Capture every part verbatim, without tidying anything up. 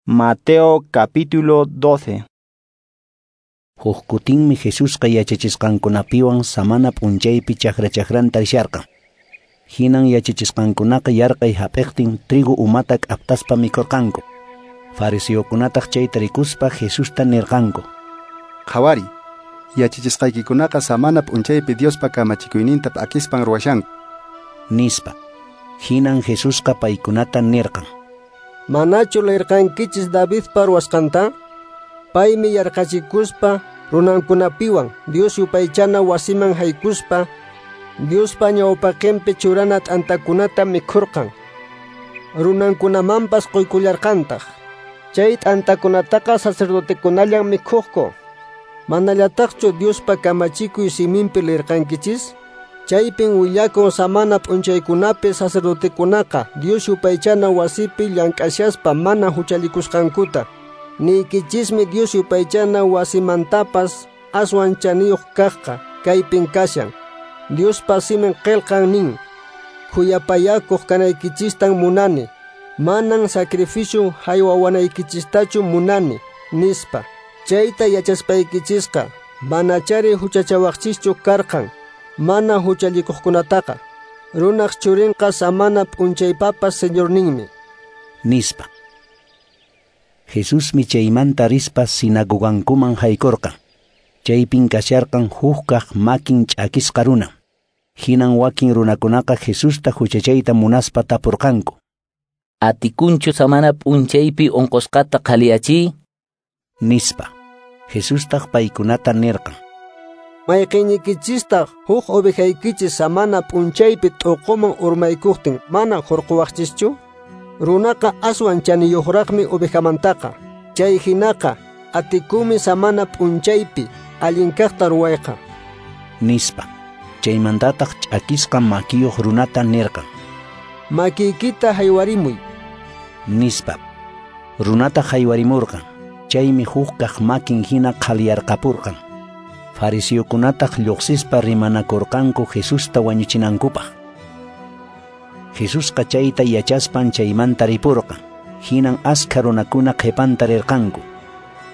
Mateo capítulo doce. Huk kutinmi Jesusqa yachachisqankunapiwan samana p'unchaypi chakra chakranta risharqan. Hinan yachachisqankunaqa yarqay hap'iqtin trigo umata k'aptaspa mikhurqanku. Fariseokunataq chayta rikuspa Jesusta nirqanku: Qhawari, yachachisqaykikunaqa samana p'unchaypi Diospa kamachikuyninta p'akispan ruwashanku, nispa. Hinan Jesusqa paykunata nirqan: Manachu leerqankichis Davidpa ruwasqanta? Paymi yarqachikuspa runankunapiwan Dios yupaychana wasiman haykuspa Diospa ñawpaqinpi churana t'antakunata mikhurqan. Runankunamanpas quykullarqantaq. Chay t'antakunataqa sacerdotekunallan mikhuqku. Manallataqchu Diospa kamachikuy siminpi leerqankichis? Chaypin willakun samana p'unchaykunapi sacerdotekunaqa Dios yupaychana wasipi llank'ashaspa mana huchallikusqankuta. Niykichismi Dios yupaychana wasimantapas aswan chaniyuq kaqqa kaypin kashan. Diospa simin qillqan nin: Khuyapayakuq kanaykichistan munani, manan sacrificio haywawanaykichistachu munani, nispa. Chayta yachaspaykichisqa manachari huchachawaqchischu karqan mana huchallikuqkunataqa. Runaq churinqa samana p'unchaypapas señorninmi, nispa. Jesusmi chaymanta rispa sinagogankuman haykurqan. Chaypin kasharqan hukkaq makin ch'akisqa runa. Hinan wakin runakunaqa Jesusta huchachayta munaspa tapurqanku: Atikunchu samana p'unchaypi unqusqata qhaliyachiy? Nispa. Jesustaq paykunata nirqan: Mayqinnikichistaq huk ovejaykichis samana p'unchaypi t'uquman urmaykuqtin mana hurquwaqchischu? Runaqa aswan chaniyuqraqmi ovejamantaqa. Chay hinaqa atikunmi samana p'unchaypi allin kaqta ruwayqa, nispa. Chaymantataq ch'akisqa makiyuq runata nirqan: Makiykita haywarimuy, nispa. Runata haywarimurqan. Chaymi huk kaq makin hina qhaliyarqapurqan. Fariseokunataq lluqsispa rimanakurqanku Jesusta wañuchinankupaq. Jesusqa chayta yachaspan chaymanta ripurqan. Hinan askha runakuna qhipanta rirqanku.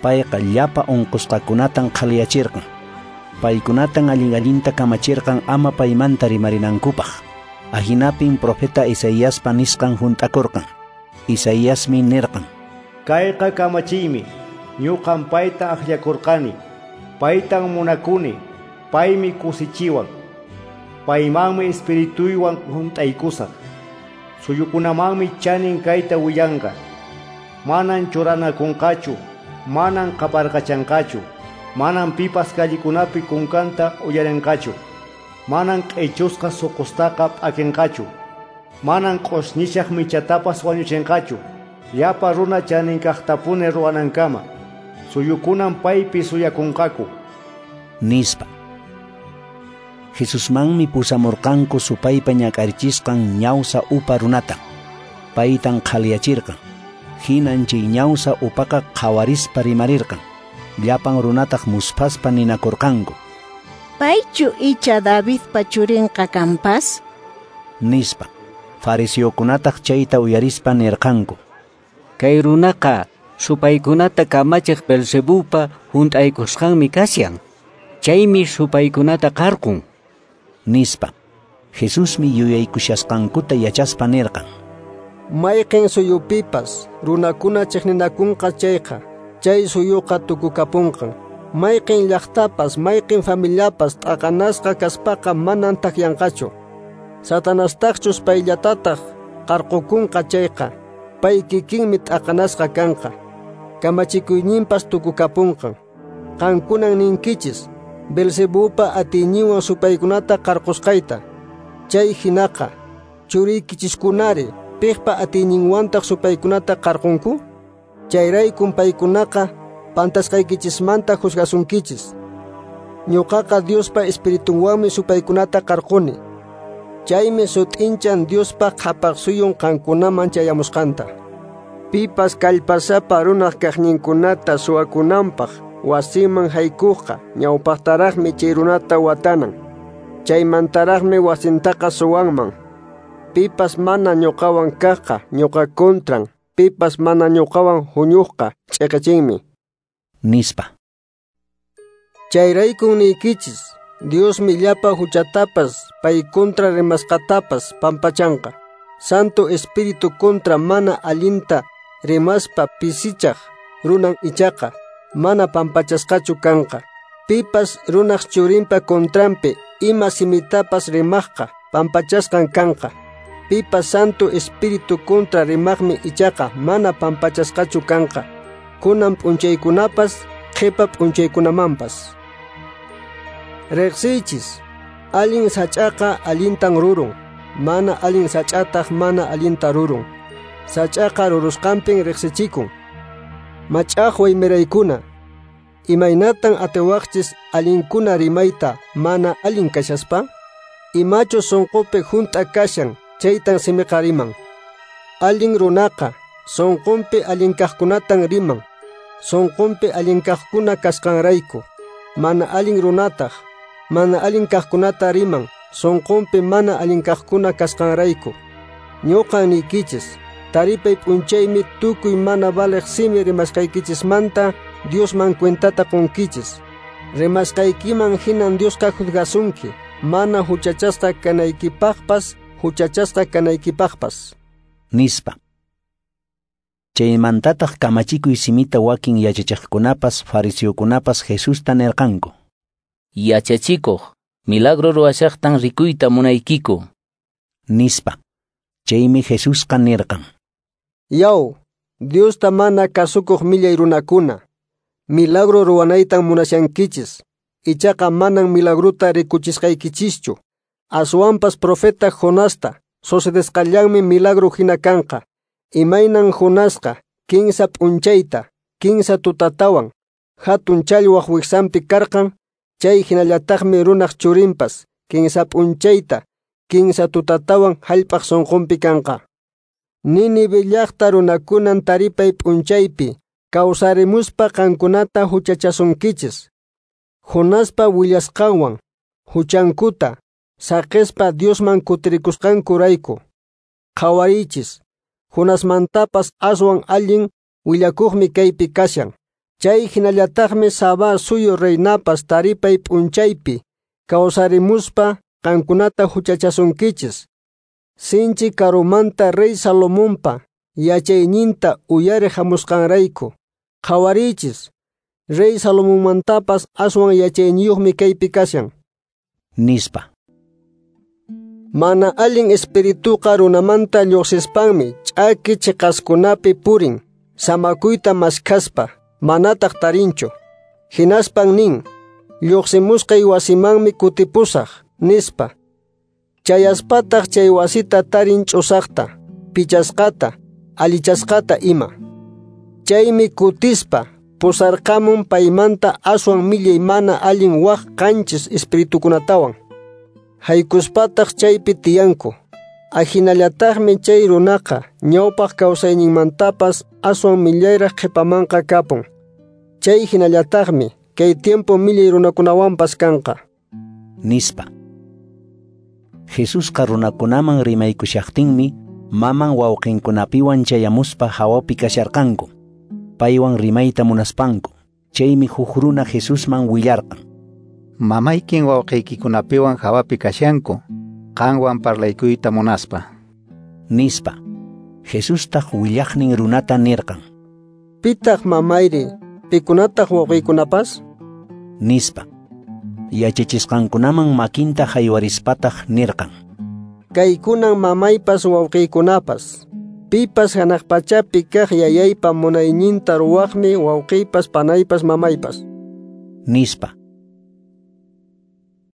Payqa llapa unqusqakunatan qhaliyachirqan. Paykunatan allin allinta kamachirqan ama paymanta rimarinankupaq. Ahinapin profeta Isaiaspa nisqan hunt'akurqan. Isaiasmi nirqan: Kayqa kamachiymi, ñuqan payta akllakurqani. Paytan munakuni, paymi kusichiwan. Paymanmi espirituywan hunt'aykusaq. Suyukunamanmi chanin kayta willanqa. Manan churanakunqachu, manan qaparqachanqachu, manan pipas kallikunapi kunkanta uyarinqachu, manan q'ichusqa suqustaqa p'akinqachu, manan q'usñishaq michatapas wañuchinqachu, llapa runa chanin kaqtapuni ruwanankama. Suyukunan paypi suyakunqaku, nispa. Jesusmanmi pusamurqanku supaypa ñak'arichisqan ñawsa upa runata. Paytan qhaliyachirqan. Hinan chay ñawsa upaqa qhawarispa rimarirqan. Llapan runataq musphaspa ninakurqanku: Paychu icha Davidpa churinqa kanpas? Nispa. Fariseokunataq chayta uyarispa nirqanku: Kay runaqa supaykunata kamachiq Belzebupa hunt'aykusqanmi kashan. Chaymi supaykunata qarqun, nispa. Jesusmi yuyaykushasqankuta yachaspa nirqan: Mayqin suyupipas runakuna chiqninakunqa chayqa, chay suyuqa tukukapunqan. Mayqin llaqtapas, mayqin familiapas t'aqanasqa kaspaqa manan takyanqachu. Satanastaqchus payllatataq qarqukunqa chayqa, pay kikinmi t'aqanasqa kanqa. Kamachikuyninpas tukukapunqan. Qankunan ninkichis Belzebupa atiyninwan supaykunata qarqusqayta. Chay hinaqa churiykichiskunari piqpa atiyninwantaq supaykunata qarqunku? Chayraykun paykunaqa pantasqaykichismanta juzgasunkichis. Ñuqaqa Diospa espiritunwanmi supaykunata qarquni. Chaymi sut'inchan Diospa qhapaq suyun qankunaman chayamusqanta. Pipas kallpasapa runaq kaqninkunata suwakunanpaq wasiman haykuqqa ñawpaqtaraqmi chay runata watanan. Chaymantaraqmi wasintaqa suwanman. Pipas mana ñuqawan kaqqa ñuqa contran. Pipas mana ñuqawan huñuqqa ch'eqechinmi. Nispa. Chayraykun niykichis, Diosmi llapa huchatapas, pay contra rimasqatapas pampachanqa. Santo Espíritu contra mana allinta rimaspa pisichaq runan ichaqa, mana pampachasqachu kanqa. Pipas runaq churinpa contranpi ima simitapas rimaqqa pampachasqan kanqa. Pipas Santo Espíritu contra rimaqmi ichaqa mana pampachasqachu kanqa. Kunan p'unchaykunapas qhipa p'unchaykunamanpas. Riqsiychis, allin sach'aqa allintan rurun, mana allin sach'ataq mana allinta rurun. Sach'aqa rurusqanpin riqsichikun. Mach'aqway miraykuna, imaynatan atiwaqchis allinkuna rimayta mana allin kashaspa? Imachu sunqupi hunt'a kashan, chaytan simiqa riman. Allin runaqa sunqunpi allin kaqkunatan riman, sunqunpi allin kaqkuna kasqanrayku. Mana allin runataq mana allin kaqkunata riman, sunqunpi mana allin kaqkuna kasqanrayku. Ñuqan niykichis, taripay p'unchaymi tukuy mana valeq simi rimasqaykichismanta Diosman cuentata qunkichis. Rimasqaykiman hinan Diosqa juzgasunki, mana huchachasqa kanaykipaqpas, huchachasqa kanaykipaqpas. Nispa. Chaymantataq kamachikuy simita wakin yachachiqkunapas fariseokunapas Jesusta nirqanku. Yachachikuq, milagro ruwashaqtan rikuyta munaykiku. Nispa. Chaymi Jesusqa nirqan. Yaw, Diosta mana kasukuq millay runakuna, milagro ruwanaytan munashankichis, ichaqa manan milagrota rikuchisqaykichischu. Aswanpas profeta Jonasta sucedesqallanmi milagro hina kanqa. Imaynan Jonasqa kinsa p'unchayta, kinsa tutatawan hatun challwaq wiksanpi karqan, chay hinallataqmi runaq churinpas kinsa p'unchayta, kinsa tutatawan hallp'aq sunqunpi kanqa. Nínive llaqta runakunan taripay p'unchaypi kawsarimuspa qankunata huchachasunkichis. Jonaspa willasqanwan huchankuta saqispa Diosman kutirikusqankurayku. Qhawariychis, Jonasmantapas aswan allin willakuqmi kaypi kashan. Chay hinallataqmi Sabá suyu reinapas taripay p'unchaypi kawsarimuspa qankunata huchachasunkichis. Sinchi karumanta rey Salomonpa yachayninta uyariq hamusqanrayku. Qhawariychis, rey Salomonmantapas aswan yachayniyuqmi kaypi kashan. Nispa. Mana allin espirituqa runamanta lluqsispanmi ch'aki chiqaskunapi purin, samakuyta maskhaspa, manataq tarinchu. Hinaspan nin, lluqsimusqay wasimanmi kutipusaq, nispa. Chayaspataq chay wasita tarin ch'usaqta, pichasqata, allichasqata ima. Chaymi kutispa pusarqamun paymanta aswan millay mana allin waq qanchis espiritukunatawan. Haykuspataq chaypi tiyanku. Ahinallataqmi chay runaqa ñawpaq kawsayninmantapas aswan millayraq qhipamanqa kapun. Chay hinallataqmi kay tiempo millay runakunawanpas kanqa. Nispa. Jesusqa runakunaman rimaykushaqtinmi maman wawqinkunapiwan chayamuspa hawapi kasharqanku. Paywan rimayta munaspanku. Chaymi huk runa Jesusman willarqan. Mamaykin wawqiykikunapiwan hawapi kashanku, qanwan parlaykuyta munaspa. Nispa. Jesustaq willaqnin runata nirqan. Pitaq mamayri, pikunataq wawqiykunapas? Nispa. Yachachisqankunaman makinta haywarispataq nirqan. Kaykunan mamaypas wawqiykunapas. Pipas hanaq pachapi kaq yayaypa munayninta ruwaqmi wawqiypas panaypas mamaypas. Nispa.